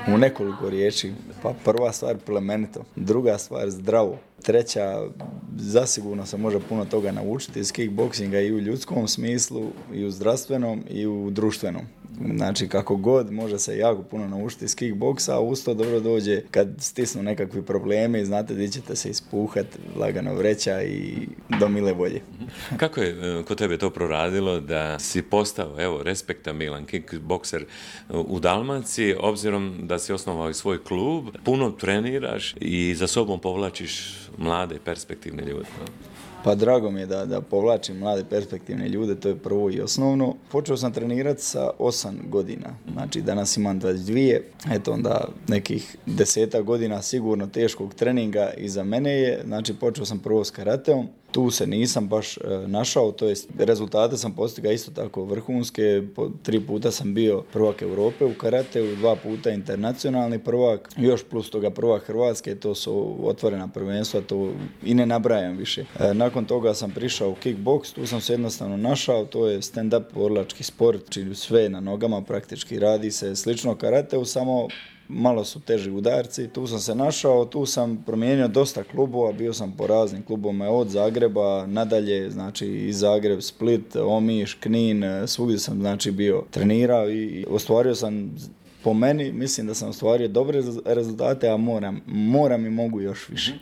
u nekoliko riječi. Pa prva stvar plemenito, druga stvar zdravo, treća zasigurno se može puno toga naučiti iz kickboksinga i u ljudskom smislu, i u zdravstvenom i u društvenom. Znači kako god može se jako puno naučiti iz kickboksa, a uz to dobro dođe kad stisnu nekakvi problemi, znate gdje ćete se ispuhat, lagano vreća i do mile volje. Kako je kod tebe to proradilo da si postao, evo, respektabilan kickbokser u Dalmaciji, obzirom da si osnovao i svoj klub, puno treniraš i za sobom povlačiš mlade perspektivne ljude? Pa drago mi je da povlačim mlade perspektivne ljude, to je prvo i osnovno. Počeo sam trenirati sa 8 godina, znači danas imam 22, eto onda nekih 10 godina sigurno teškog treninga iza mene je, znači počeo sam prvo s karateom. Tu se nisam baš našao, to jest rezultate sam postigao isto tako vrhunske, 3 puta sam bio prvak Europe u karateu, 2 puta internacionalni prvak, još plus toga prvak Hrvatske, to su otvorena prvenstva, to i ne nabrajam više. Nakon toga sam prišao u kickboks, tu sam se jednostavno našao, to je stand-up borilački sport, čini sve na nogama praktički, radi se slično karateu, samo malo su teži udarci, tu sam se našao, tu sam promijenio dosta klubova, bio sam po raznim klubovima od Zagreba nadalje, znači i Zagreb, Split, Omiš, Knin, svugdje sam znači bio trenirao i ostvario sam, po meni, mislim da sam ostvario dobre rezultate, a moram i mogu još više.